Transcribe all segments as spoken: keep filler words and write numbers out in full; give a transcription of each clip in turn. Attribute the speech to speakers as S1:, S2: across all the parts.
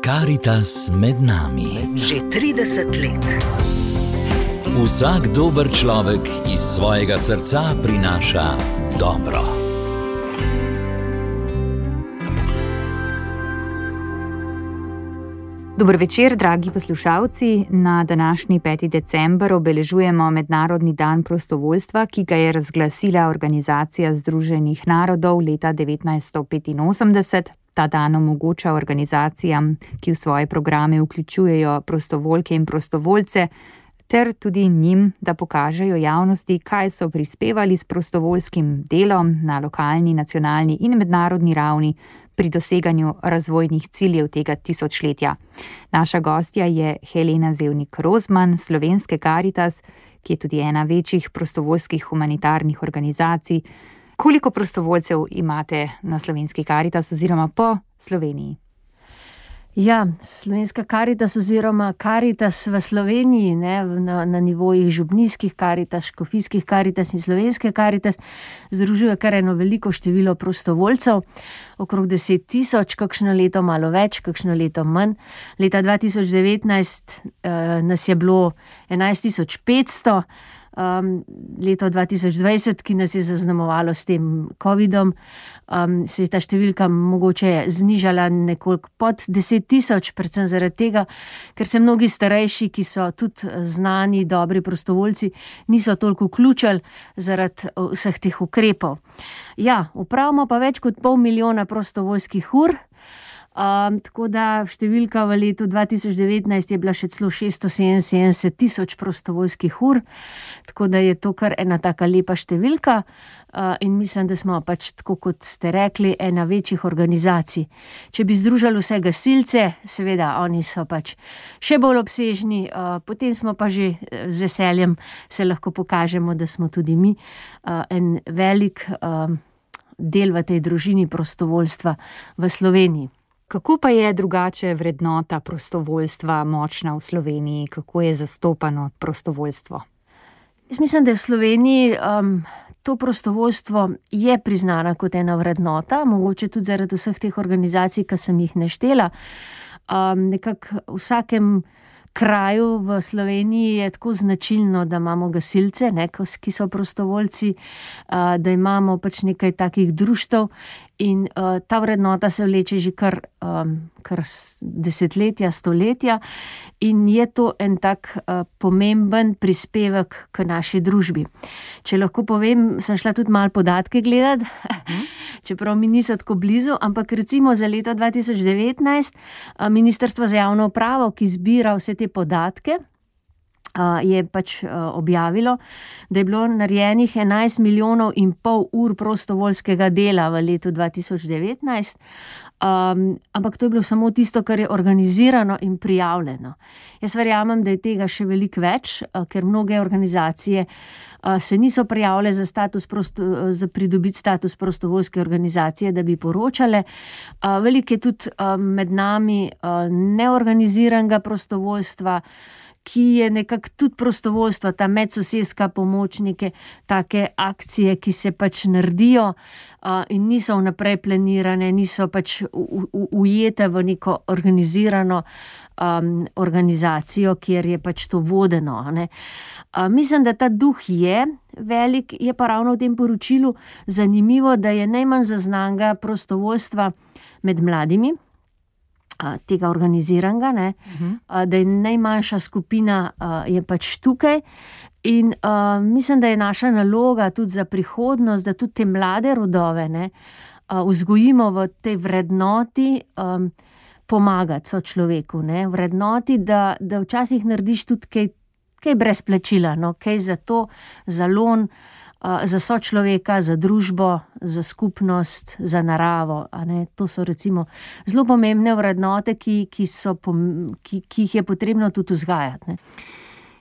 S1: Karitas med nami.
S2: Že trideset let.
S1: Vsak dober človek iz svojega srca prinaša dobro.
S3: Dober večer, dragi poslušalci. Na današnji peti december obeležujemo Mednarodni dan prostovoljstva, ki ga je razglasila Organizacija združenih narodov leta devetnajststo petinosemdeset. Ta dan omogoča organizacijam, ki v svoje programe vključujejo prostovoljke in prostovoljce, ter tudi njim, da pokažejo javnosti, kaj so prispevali s prostovoljskim delom na lokalni, nacionalni in mednarodni ravni pri doseganju razvojnih ciljev tega tisočletja. Naša gostja je Helena Zevnik Rozman, slovenske Karitas, ki je tudi ena večjih prostovoljskih humanitarnih organizacij. Koliko prostovoljcev imate na slovenski Karitas oziroma po Sloveniji?
S4: Ja, slovenska Karitas oziroma Karitas v Sloveniji, ne, na, na nivojih župnijskih Karitas, škofijskih Karitas in slovenske Karitas, združuje kar eno veliko število prostovoljcev, okrog deset tisoč, kakšno leto malo več, kakšno leto manj. Leta dva tisoč devetnajst eh, nas je bilo enajst tisoč petsto, Um, leto dva tisoč dvajset, ki nas je zaznamovalo s tem covidom, um, se je ta številka mogoče znižala nekoliko pod deset tisoč, predvsem zaradi tega, ker se mnogi starejši, ki so tudi znani, dobri prostovoljci, niso toliko vključili zaradi vseh teh ukrepov. Ja, upravimo pa več kot pol milijona prostovoljskih ur. Um, tako da številka v letu dva tisoč devetnajst je bila še celo šeststo sedeminsedemdeset tisoč prostovoljskih ur, tako da je to kar ena taka lepa številka uh, in mislim, da smo pač, tako kot ste rekli, ena večjih organizacij. Če bi združili vse gasilce, seveda oni so pač še bolj obsežni, uh, potem smo pa že z veseljem se lahko pokažemo, da smo tudi mi uh, en velik uh, del v tej družini prostovoljstva v Sloveniji.
S3: Kako pa je drugače vrednota prostovoljstva močna v Sloveniji? Kako je zastopano prostovoljstvo?
S4: Jaz mislim, da je v Sloveniji um, to prostovoljstvo je priznana kot ena vrednota, mogoče tudi zaradi vseh teh organizacij, ki sem jih naštela. Um, nekako v vsakem kraju v Sloveniji je tako značilno, da imamo gasilce, ne, ki so prostovoljci, uh, da imamo pač nekaj takih društev in uh, ta vrednota se vleče že kar, um, kar desetletja, stoletja in je to en tak uh, pomemben prispevek k naši družbi. Če lahko povem, sem šla tudi malo podatke gledati, čeprav mi niso tako blizu, ampak recimo za leto dva tisoč devetnajst uh, Ministrstvo za javno upravo, ki zbira vse te podatke, Uh, je pač uh, objavilo, da je bilo narejenih enajst milijonov in pol ur prostovoljskega dela v letu dva tisoč devetnajst, um, ampak to je bilo samo tisto, kar je organizirano in prijavljeno. Jaz verjamem, da je tega še veliko več, uh, ker mnoge organizacije uh, se niso prijavile za, status prosto, uh, za pridobiti status prostovoljske organizacije, da bi poročale. Uh, veliko je tudi uh, med nami uh, neorganiziranega prostovoljstva, ki je nekako tudi prostovoljstvo, ta medsosedska pomoč, neke take akcije, ki se pač naredijo uh, in niso vnaprej planirane, niso pač u, u, ujete v neko organizirano um, organizacijo, kjer je pač to vodeno. Ne? Uh, mislim, da ta duh je velik, je pa ravno v tem poročilu zanimivo, da je najmanj zaznanega prostovoljstva med mladimi, tega organiziranega, ne, uh-huh. da je najmanjša skupina uh, je pač tukaj in uh, mislim, da je naša naloga tudi za prihodnost, da tudi te mlade rodove ne, uh, vzgojimo v tej vrednoti um, pomagati sočloveku, ne, vrednoti, da, da včasih narediš tudi kaj, kaj brez plačila, no, kaj za to, za lon, za sočloveka, za družbo, za skupnost, za naravo. A ne? To so recimo zelo pomembne vrednote, ki, ki, so, ki, ki jih je potrebno tudi vzgajati. Ne?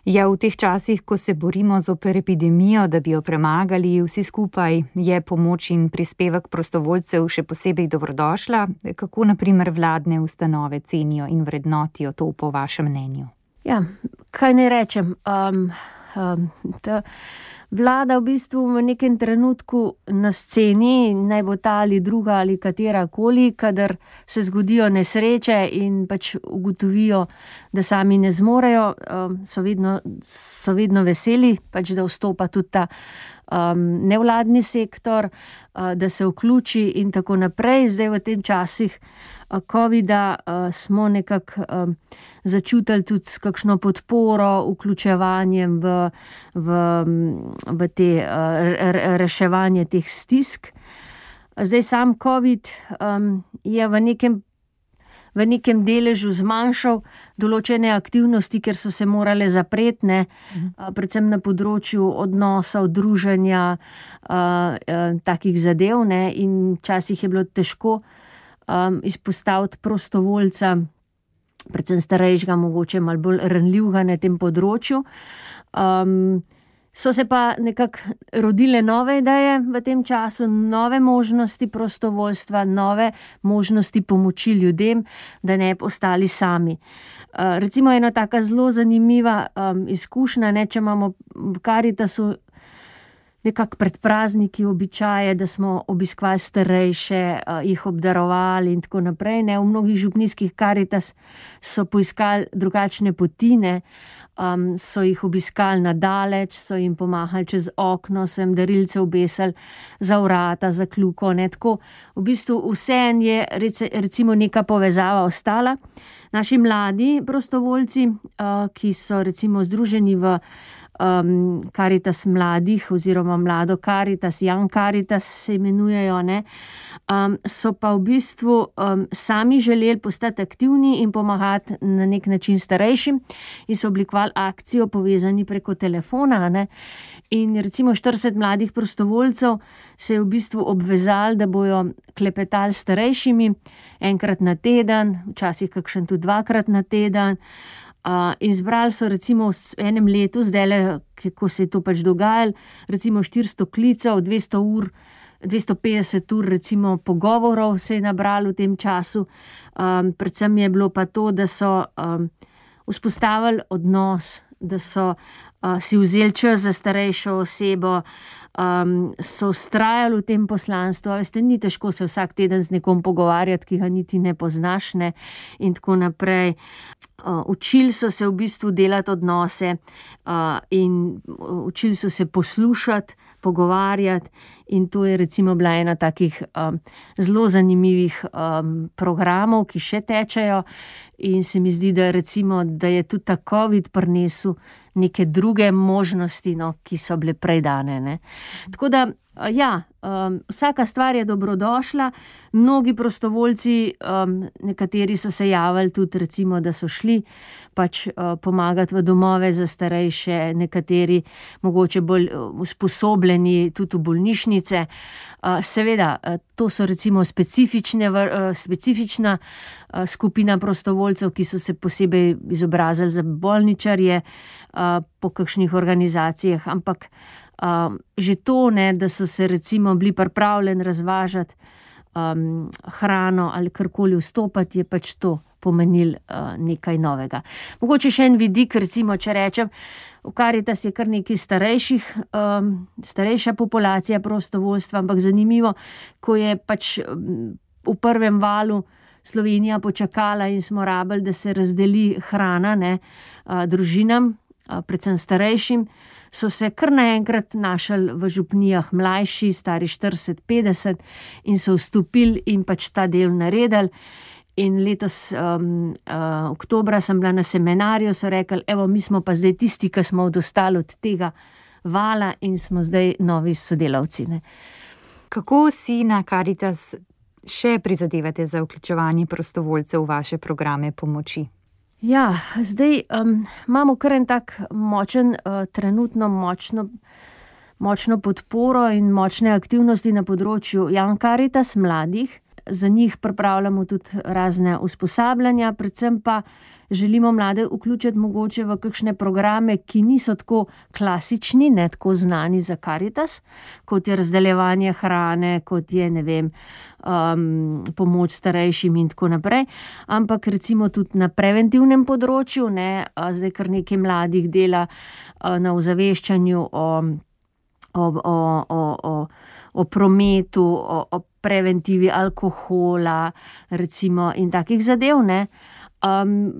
S3: Ja, v teh časih, ko se borimo zoper epidemijo, da bi jo premagali vsi skupaj, je pomoč in prispevek prostovoljcev še posebej dobrodošla. Kako na primer vladne ustanove cenijo in vrednotijo to po vašem mnenju?
S4: Ja, kaj ne rečem? Um, um, ta vlada v bistvu v nekem trenutku na sceni, naj bo ta ali druga ali katera koli, kadar se zgodijo nesreče in pač ugotovijo, da sami ne zmorejo, so vedno, so vedno veseli, pač da vstopa tudi ta um, nevladni sektor, uh, da se vključi in tako naprej. Zdaj v tem časih covida uh, smo nekako um, začutili tudi s kakšno podporo, vključevanjem v, v, v te uh, reševanje teh stisk. Zdaj sam covid um, je v nekem, v nekem deležu zmanjšal določene aktivnosti, ker so se morale zapreti, ne, mhm. uh, predvsem na področju odnosov, druženja, uh, uh, takih zadev, ne, in včasih je bilo težko Um, izpostaviti prostovoljca, predvsem starejšega, mogoče malo bolj ranljivega na tem področju. Um, so se pa nekako rodile nove ideje v tem času, nove možnosti prostovoljstva, nove možnosti pomoči ljudem, da ne bi ostali sami. Uh, recimo ena taka zelo zanimiva um, izkušnja, ne, če imamo v Karitasu nekako pred prazniki običaje, da smo obiskovali starejše, jih obdarovali in tako naprej. Ne. V mnogih župnijskih Karitas so poiskali drugačne poti, ne. Um, so jih obiskali na daleč, so jim pomahali čez okno, so jim darilce obesili za vrata, za kljuko. Ne. Tako v bistvu vseeno je recimo neka povezava ostala. Naši mladi prostovoljci, uh, ki so recimo združeni v Um, Karitas mladih oziroma mlado Karitas, Young Karitas se imenujejo, ne, um, so pa v bistvu um, sami želeli postati aktivni in pomagati na nek način starejšim in so oblikovali akcijo povezani preko telefona, ne, in recimo štirideset mladih prostovoljcev se je v bistvu obvezali, da bojo klepetali starejšimi enkrat na teden, včasih kakšen tudi dvakrat na teden. Uh, in zbrali so recimo v enem letu, zdajle, ko se je to pač dogajalo, recimo štiristo klicev, dvesto ur, dvesto petdeset ur recimo pogovorov se je nabralo v tem času. Um, predvsem je bilo pa to, da so um, vzpostavili odnos, da so uh, si vzeli čas za starejšo osebo, um, so vztrajali v tem poslanstvu. Veste, ni težko se vsak teden z nekom pogovarjati, ki ga niti ne poznaš, ne, in tako naprej. Uh, učili so se v bistvu delati odnose uh, in učili so se poslušati, pogovarjati, in to je recimo bila ena takih um, zelo zanimivih um, programov, ki še tečejo, in se mi zdi, da recimo, da je tudi ta covid prinesel neke druge možnosti, no, ki so bile prej dane, ne. Tako da, ja, um, vsaka stvar je dobrodošla. Mnogi prostovoljci, um, nekateri so se javili tudi recimo, da so šli pač uh, pomagati v domove za starejše, nekateri mogoče bolj usposobljeni tudi v bolnišnice. Uh, seveda, uh, to so recimo specifične, uh, specifična uh, skupina prostovoljcev, ki so se posebej izobrazili za bolničarje uh, po kakšnih organizacijah, ampak Um, že to, ne, da so se recimo bili pripravljeni razvažati um, hrano ali karkoli vstopati, je pač to pomenil uh, nekaj novega. Mogoče še en vidik, recimo, če rečem, v Karitas je kar nekaj starejših, um, starejša populacija prostovoljstva, ampak zanimivo, ko je pač um, v prvem valu Slovenija počakala in smo rabili, da se razdeli hrana, ne, uh, družinam, uh, predvsem starejšim, so se kar naenkrat našli v župnijah mlajši, stari štirideset petdeset, in so vstopili in pač ta del naredili. In letos um, uh, oktobra sem bila na seminarju, so rekli, evo, mi smo pa zdaj tisti, ki smo odostali od tega vala in smo zdaj novi sodelavci, ne.
S3: Kako si na Karitas še prizadevate za vključevanje prostovoljcev v vaše programe pomoči?
S4: Ja, zdaj um, imamo kar en tak močen, uh, trenutno močno, močno podporo in močne aktivnosti na področju Young Karitas mladih. Za njih pripravljamo tudi razne usposabljanja, predvsem pa želimo mlade vključiti mogoče v kakšne programe, ki niso tako klasični, ne tako znani za Karitas, kot je razdeljevanje hrane, kot je, ne vem, um, pomoč starejšim in tako naprej, ampak recimo tudi na preventivnem področju, ne, zdaj kar nekaj mladih dela uh, na ozaveščanju o o, o, o, o, o prometu, o, o preventivi alkohola, recimo, in takih zadev, ne. Um,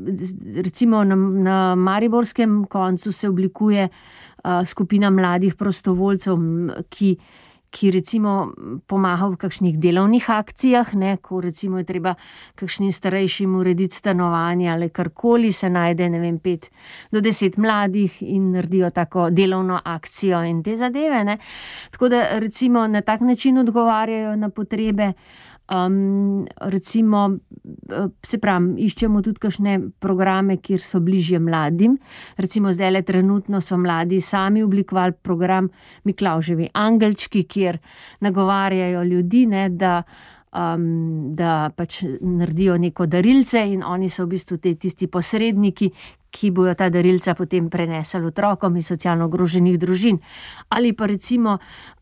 S4: recimo na, na mariborskem koncu se oblikuje uh, skupina mladih prostovoljcev, ki ki recimo pomaga v kakšnih delovnih akcijah, ne, ko recimo je treba kakšnim starejšim urediti stanovanje ali karkoli, se najde, ne vem, pet do deset mladih in naredijo tako delovno akcijo in te zadeve, ne. Tako da recimo na tak način odgovarjajo na potrebe. Um, recimo, se pravim, iščemo tudi kakšne programe, kjer so bližje mladim. Recimo zdajle trenutno so mladi sami oblikovali program Miklavževi angelčki, kjer nagovarjajo ljudi, ne, da, um, da pač naredijo neko darilce in oni so v bistvu te tisti posredniki, ki bojo ta darilca potem prenesli otrokom iz socialno ogroženih družin. Ali pa recimo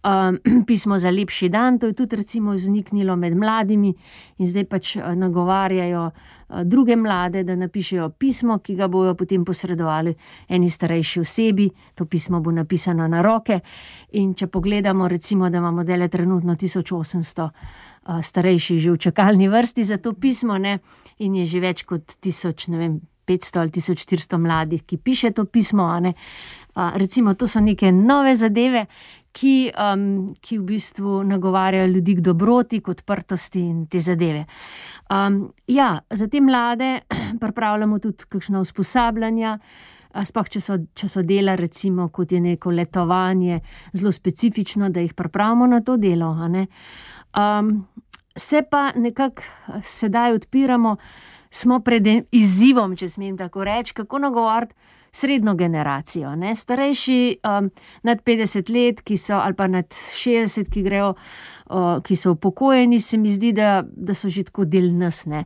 S4: um, pismo za lepši dan, to je tudi recimo vzniknilo med mladimi in zdaj pač nagovarjajo uh, druge mlade, da napišejo pismo, ki ga bojo potem posredovali eni starejši osebi. To pismo bo napisano na roke in če pogledamo recimo, da imamo dele trenutno tisoč osemsto uh, starejših že v čakalni vrsti za to pismo, ne, in je že več kot tisoč, ne vem, petsto ali tisoč štiristo mladih, ki piše to pismo, a ne. A, recimo, to so neke nove zadeve, ki, um, ki v bistvu nagovarjajo ljudi k dobroti, k odprtosti in te zadeve. Um, ja, za te mlade pripravljamo tudi kakšna usposabljanja, sploh če so, če so dela, recimo, kot je neko letovanje, zelo specifično, da jih pripravimo na to delo, a ne. Um, se pa nekako sedaj odpiramo, smo pred izzivom, če smem tako reči, kako nagovoriti srednjo generacijo, ne, starejši um, nad petdeset let, ki so, ali pa nad šestdeset, ki grejo, uh, ki so upokojeni, se mi zdi, da, da so že tako del nas, ne.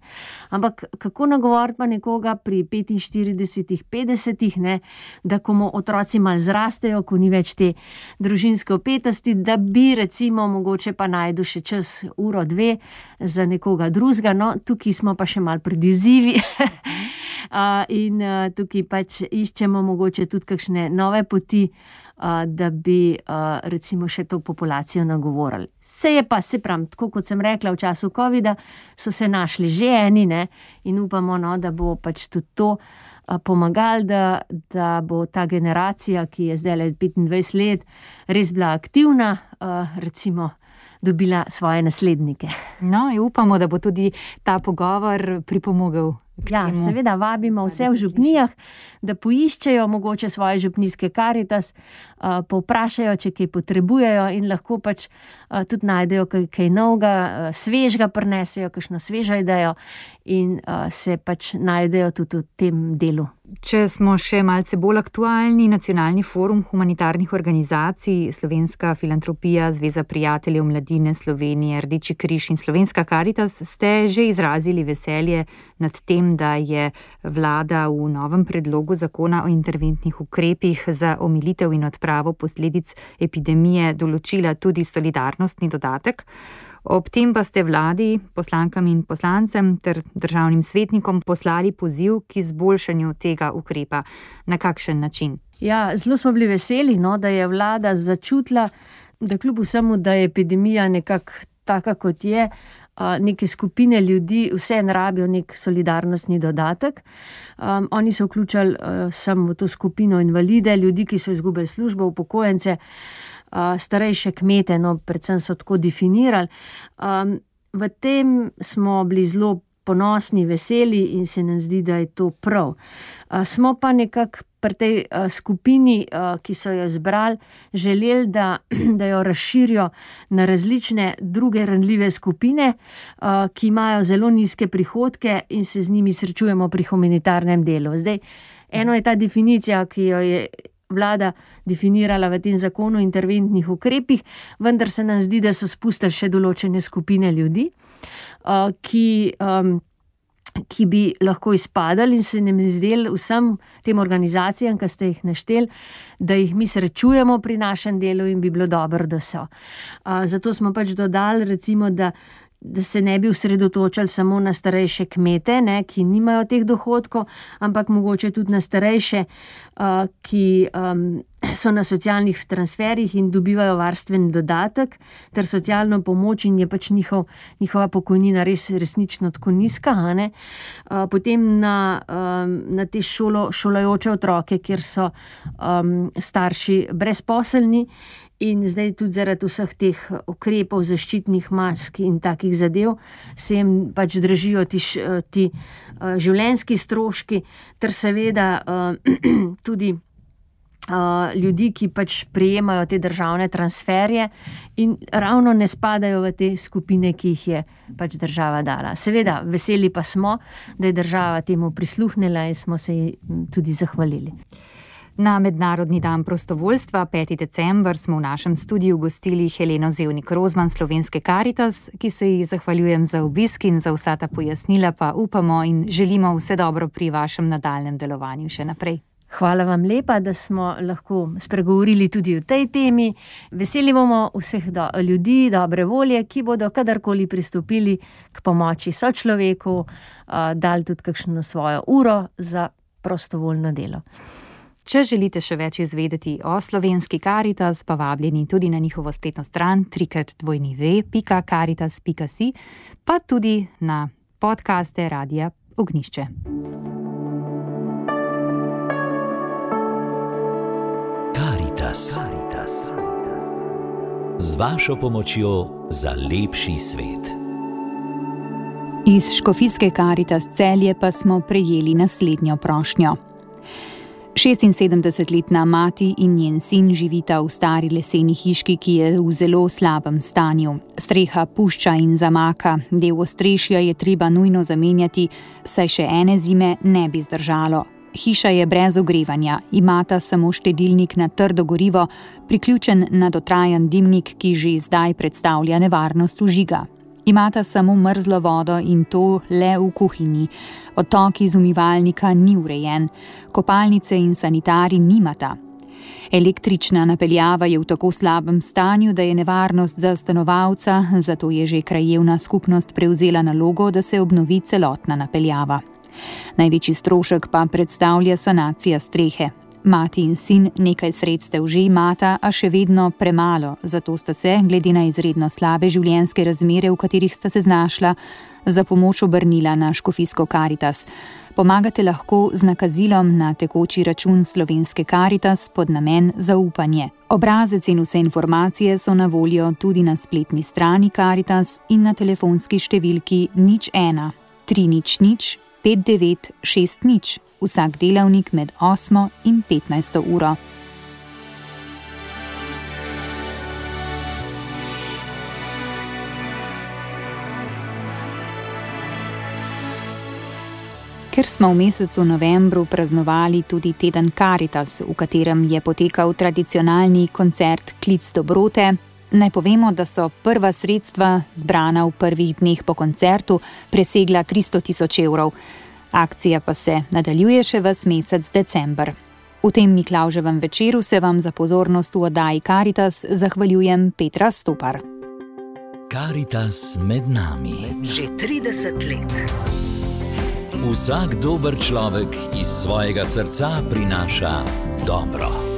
S4: Ampak kako nagovoriti pa nekoga pri petinštiridesetih, petdesetih, ne, da ko mu otroci malo zrastejo, ko ni več te družinske vpetosti, da bi recimo mogoče pa najdu še čas uro, dve za nekoga drugega, no, tukaj smo pa še malo pred izzivi. Uh, in uh, tukaj pač iščemo mogoče tudi kakšne nove poti, uh, da bi uh, recimo še to populacijo nagovorili. Se je pa, se pravim, tako kot sem rekla, v času covida so se našli že eni, ne, in upamo, no, da bo pač tudi to uh, pomagali, da, da bo ta generacija, ki je zdaj le petindvajset let, res bila aktivna, uh, recimo dobila svoje naslednike.
S3: No, in upamo, da bo tudi ta pogovor pripomogel.
S4: Ja, seveda vabimo vse v župnijah, da poiščejo mogoče svoje župnijske Karitas, uh, povprašajo, če kaj potrebujejo in lahko pač uh, tudi najdejo kaj, kaj novega, uh, svežga prinesejo, kakšno svežo idejo in uh, se pač najdejo tudi v tem delu.
S3: Če smo še malce bolj aktualni, Nacionalni forum humanitarnih organizacij, Slovenska filantropija, Zveza prijateljev mladine Slovenije, Rdeči križ in Slovenska Karitas ste že izrazili veselje nad tem, da je vlada v novem predlogu zakona o interventnih ukrepih za omilitev in odpravo posledic epidemije določila tudi solidarnostni dodatek. Ob tem pa ste vladi, poslankam in poslancem ter državnim svetnikom poslali poziv k izboljšanju tega ukrepa. Na kakšen način?
S4: Ja, zelo smo bili veseli, no, da je vlada začutila, da kljub vsemu, da je epidemija nekako taka, kot je, neke skupine ljudi vseeno rabijo nek solidarnostni dodatek. Um, oni so vključili uh, samo v to skupino invalide, ljudi, ki so izgubili službo, upokojence, uh, starejše kmete, no, predvsem so tako definirali. Um, v tem smo bili zelo ponosni, veseli in se nam zdi, da je to prav. Uh, smo pa nekako pri tej uh, skupini, uh, ki so jo izbrali, želeli, da, da jo razširijo na različne druge ranljive skupine, uh, ki imajo zelo nizke prihodke in se z njimi srečujemo pri humanitarnem delu. Zdaj, eno je ta definicija, ki jo je vlada definirala v tem zakonu o interventnih ukrepih, vendar se nam zdi, da so spustili še določene skupine ljudi, uh, ki um, ki bi lahko izpadali in se nam zdeli vsem tem organizacijam, ki ste jih našteli, da jih mi srečujemo pri našem delu in bi bilo dobro, da so. Uh, zato smo pač dodali, recimo, da da se ne bi osredotočali samo na starejše kmete, ne, ki nimajo teh dohodkov, ampak mogoče tudi na starejše, uh, ki um, so na socialnih transferjih in dobivajo varstveni dodatek ter socialno pomoč in je pač njihov, njihova pokojnina res resnično tako nizka. Uh, potem na, um, na te šolo, šolajoče otroke, kjer so um, starši brezposelni. In zdaj tudi zaradi vseh teh ukrepov, zaščitnih mask in takih zadev se jim pač dražijo ti, ti uh, življenjski stroški, ter seveda uh, tudi uh, ljudi, ki pač prejemajo te državne transferje in ravno ne spadajo v te skupine, ki jih je pač država dala. Seveda, veseli pa smo, da je država temu prisluhnila in smo se ji tudi zahvalili.
S3: Na Mednarodni dan prostovoljstva, peti december, smo v našem studiu gostili Heleno Zevnik Rozman Slovenske Karitas, ki se ji zahvaljujem za obisk in za vsa ta pojasnila, pa upamo in želimo vse dobro pri vašem nadaljnjem delovanju še naprej.
S4: Hvala vam lepa, da smo lahko spregovorili tudi o tej temi. Veseli bomo vseh do, ljudi dobre volje, ki bodo kadarkoli pristopili k pomoči sočloveku, uh, dali tudi kakšno svojo uro za prostovoljno delo.
S3: Če želite še več izvedeti o Slovenski Karitas, pa vabljeni tudi na njihovo spletno stran trikrat dvojni pika karitas pika si, pa tudi na podcaste Radia Ognjišče.
S1: Karitas. Z vašo pomočjo za lepši svet.
S3: Iz Škofijske Karitas Celje pa smo prejeli naslednjo prošnjo. šestinsedemdesetletna mati in njen sin živita v stari leseni hiški, ki je v zelo slabem stanju. Streha pušča in zamaka, del ostrešja je treba nujno zamenjati, saj še ene zime ne bi zdržalo. Hiša je brez ogrevanja, imata samo štedilnik na trdo gorivo, priključen na dotrajan dimnik, ki že zdaj predstavlja nevarnost vžiga. Imata samo mrzlo vodo in to le v kuhinji. Odtok iz umivalnika ni urejen, kopalnice in sanitari nimata. Električna napeljava je v tako slabem stanju, da je nevarnost za stanovalca, zato je že krajevna skupnost prevzela nalogo, da se obnovi celotna napeljava. Največji strošek pa predstavlja sanacija strehe. Mati in sin nekaj sredstev že imata, a še vedno premalo, zato sta se, glede na izredno slabe življenjske razmere, v katerih sta se znašla, za pomoč obrnila na Škofijsko Karitas. Pomagate lahko z nakazilom na tekoči račun Slovenske Karitas pod namen zaupanje. Obrazec in vse informacije so na voljo tudi na spletni strani Karitas in na telefonski številki nič ena tri nič nič pet devet šest nič, vsak delavnik med osmo in petnajsto uro. Ker smo v mesecu novembru praznovali tudi teden Karitas, v katerem je potekal tradicionalni koncert Klic dobrote, naj povemo, da so prva sredstva, zbrana v prvih dneh po koncertu, presegla tristo tisoč evrov. Akcija pa se nadaljuje še ves mesec december. V tem Miklavževem večeru se vam za pozornost v oddaji Karitas zahvaljujem Petra Stopar.
S1: Karitas med nami.
S2: Že trideset let.
S1: Vsak dober človek iz svojega srca prinaša dobro.